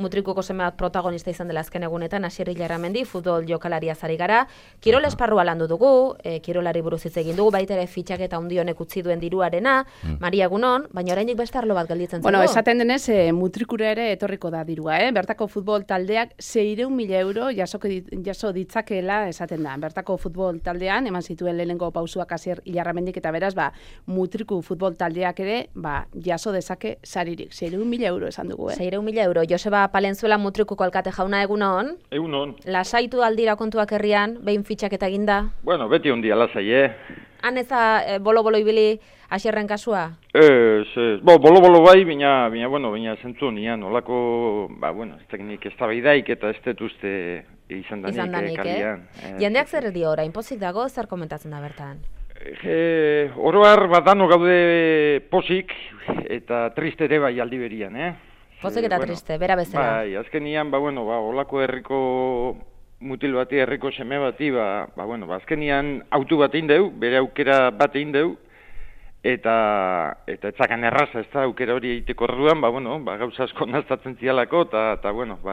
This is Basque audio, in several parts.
mutrikuko seme bat protagonista izan dela azken egunetan, Asier Illarramendi, futbol jokalaria zari gara. Kirol esparrua landu dugu, kirolari buruz hitz egin dugu, baita ere fitxaketa handi honek utzi duen diruarena, Maria egunon, baina oraindik beste arlo bat gelditzen Bueno, esaten denez, mutrikura ere etorriko da dirua, Bertako futbol taldeak 600.000 euro jaso ditzakeela esaten da. Bertako futbol taldean, eman zituen lehenengo pausuak Asier Illarramendik eta beraz, mutriku futbol taldeak ere, jaso dezake saririk. 600.000 euro esan dugu, 600.000 euro. Joseba Palenzuela mutrikuko alkate jauna egunon. Egunon. Lasaitu aldira kontuak herrian, behin fitxaketa eginda? Bueno, beti ondia lasai, Han eza bolo-bolo ibili Asierren kasua? Bolo-bolo bai, baina zentzu nian, olako, ez teknik ez tabaidaik eta ez detuzte izan danik kalian. Jendeak zer dio orain, pozik dago, zer komentatzen da bertan? Oroar badano gaude posik eta triste ere bai aldi berian, Pozik eta triste, bera bezala. Bai, azken nian, olako herriko mutil bati, herriko seme bati, azkenian autu bat indeu, bere aukera bat indeu, eta etzakan erraza, ez da, aukera hori egiteko orduan, gauza asko naztatzen zialako, eta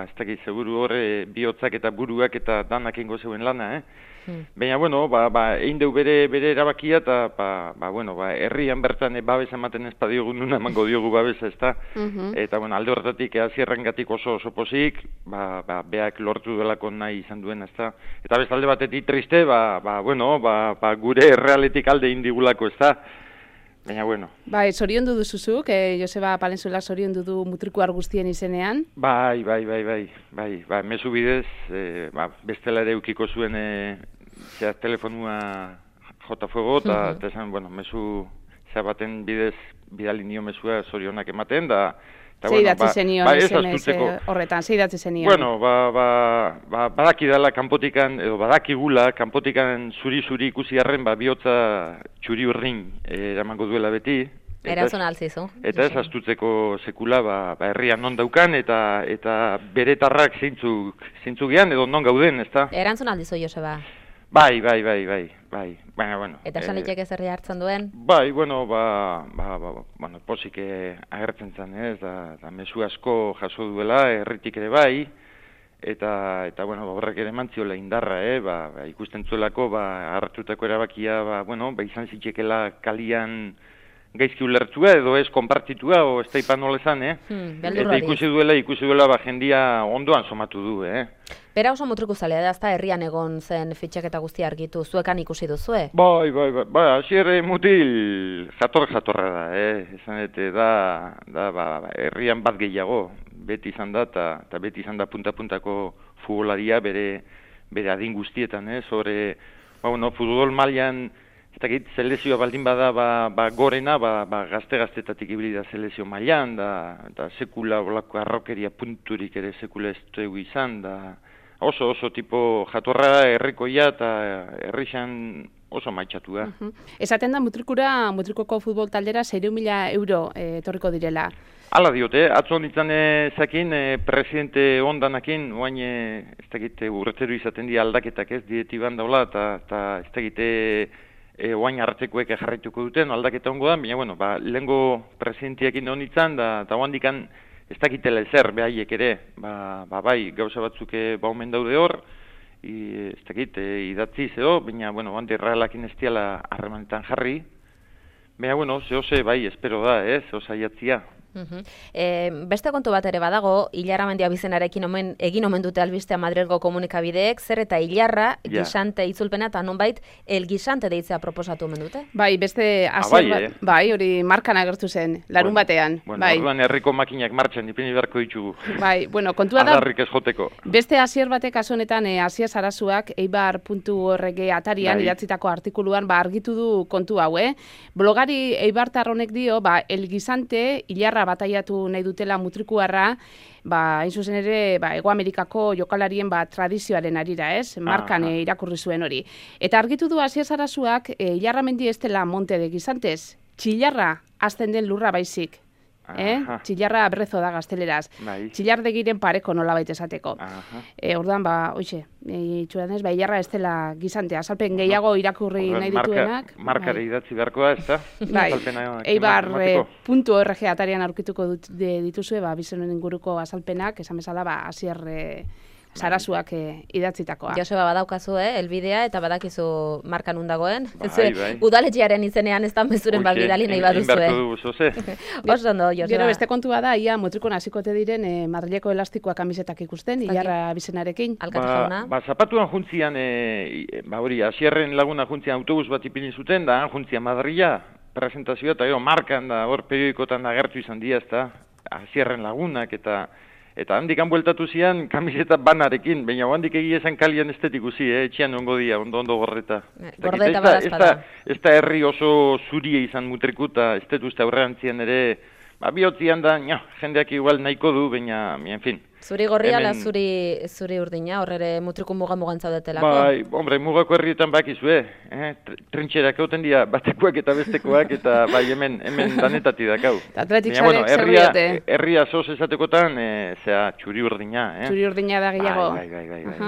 ez dakit, seguru horre bihotzak eta buruak eta danak ingo zeuen lana, Baina, eindeu bere erabakia, eta, herrian bertan babes ematen ez badiogu, nuna emango diogu babesa, ez da, eta, alde horretatik, Asierrengatik oso pozik, beak lortu delako nahi izan duen, ez da, eta bestalde batetik triste, gure errealetik alde indigulako, ez da, baina, zoriondu duzuzuk, Joseba Palenzuela zoriondu du mutrikuar guztien izenean? Bai, mezu bidez, bestela ere eukiko zuen telefonua jota fuego, eta esan, mezu baten bidez bidali nio mezua zorionak ematen, da... Zeidatzi zenion SMS horretan, zeidatzi zenion? Badakidala kanpotikan, edo badakigula kanpotikan zuri ikusi arren, bihotza txuri urrin eramango duela beti. Erantzun altzizu. Eta ez astutzeko sekula, herrian non daukan, eta bere tarrak zeintzuk gean, edo non gauden, ez da? Erantzun aldizu, Joseba? Bai. Baina, eta esan liteke zerri hartzen duen? Bai, posik agertzen zen, da mezu asko jaso duela, herritik ere bai, eta horrek ere mantziola indarra, ikusten zuelako, hartutako erabakia, izan zitxekela kalian gaizki ulertua, edo ez konpartitua, o ez taipan nolezan, eta ikusi duela jendia ondoan somatu du, Bera oso mutriku zalea da, ezta herrian egon zen fitxaketa guztia argitu, zuekan ikusi duzue? Bai, Asier mutil jatorra da, esan dute da, herrian bat gehiago, beti izan da, eta beti izan da punta-puntako futbolaria bere adin guztietan, sobre, futbol mailan, ez dakit, selezioa baldin bada, gorena, gazte-gaztetatik ibili da selezio mailan, da sekula olako arrokeria punturik ere sekula ez dugu izan, da oso tipo jatorra herrikoia eta herrixan oso maitxatu da. Esaten da mutrikoko futbol taldera 600.000 euro etorriko direla. Hala diote, atzo nintzen zakin, presidente ondanakin, oain ez dakite urretero izaten di aldaketak ez, dietiban daula, eta ez dakite oain hartzekoek jarraituko duten, aldaketa ongo da, baina, lehengo presidentiakin honitzen, eta oandikan ez dakitela ezer behaiek ere, bai, gauza batzuk baumen daude hor, ez dakit, idatzi zeo, baina, handi errealakin ez diala harremanetan jarri, baina, zehose, bai, espero da, zehose aiatzia. Beste kontu bat ere badago, Illarramendi abizenarekin egin omen dute albistea Madrilgo komunikabideek, zer eta Ilarra, Gixante itzulpena, eta nonbait, El Gixante deitzea proposatu omen dute? Bai, beste Asier bai, hori markan agertu zen, larun batean. Orduan herriko makinak martxan, ipini beharko ditugu. Bai, kontua da, adarrik ez joteko. Beste Asier batek asonetan, Asia Sarazuak, eibar.org atarian, idatzitako artikuluan, argitu du kontu hau, Blogari eibartar honek dio, El Gixante, Ilarra bataiatu nahi dutela mutrikuarra, hain zuzen ere, Hego Amerikako jokalarien tradizioaren arira, markan irakurri zuen hori. Eta argitu du Asier Sarazuak, Illarramendi ez dela Monte de Gixantez, Txillarra azten den lurra baizik. Txillarra brezo da gazteleraz. Bai. Txillardegiren pareko nolabait esateko. Orduan, itxuran ez, ilarra ez dela gizantea. Azalpen gehiago irakurri nahi dituenak. Markare idatzi beharkoa, ez da? Bai, eibar.org atarian aurkituko dituzue, bizenen inguruko azalpenak, esan bezala, Asier Sarasuak idatzitakoa. Joseba, badaukazu, elbidea, eta badakizu markan undagoen. Udaletxearen izenean ez da mezuren bat bidali nahi baduzue. Oso ondo, Joseba. Gero beste kontua da, ia motrikon hasikote diren Madrileko elastikoa kamisetak ikusten, Ilarra bizenarekin. Alkate jauna. Zapatuan juntzian, Asierren laguna juntzian autobus bat ipini zuten, da juntzian Madrila, presentazioa, eta gero markan da, hor periodikotan agertu izan dia, ez da, Asierren lagunak, eta handik bueltatu zian kamiseta banarekin, baina handik egia esan kalian ez ikusi, etxean ongo dia, ondo gorreta. Gordeta badazpada. Ez da herri oso zurie izan mutrikuta, ez dut uste aurrean ere, bihotzian da, jendeak igual nahiko du, baina, en fin. Zuri gorria ala zuri urdina, horre mutriku mugan zaudetelako? Bai, hombre, mugako herrietan bakizue, trintxerak egoten dira batekuak eta bestekoak, eta bai, hemen danetati dakau. Atletik zarek zer diote? Herria zoz esatekotan, txuri urdina. Txuri urdina da gehiago. Bai.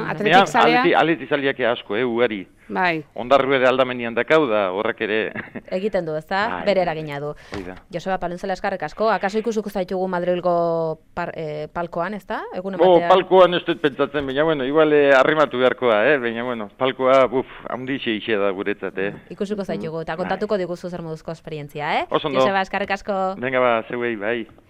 Atletik zalea? Atletik zaleak asko, ugari. Bai. Ondarru ere aldamenian dakau da, horrek ere... Egiten du, ezta? Bere eragina du. Joseba, Paluntzela eskarrek asko, akaso ikusuko zaitugu Madrilgo palkoan, ezta? Palkoan ez dut pentsatzen, baina, igual arrimatu beharkoa, baina, palkoa, handixe ixe da guretzat, Ikusuko zaitugu, eta kontatuko diguzu zer moduzko esperientzia, Oso ondo. Joseba, eskarrek asko. Venga, zeuei, bai.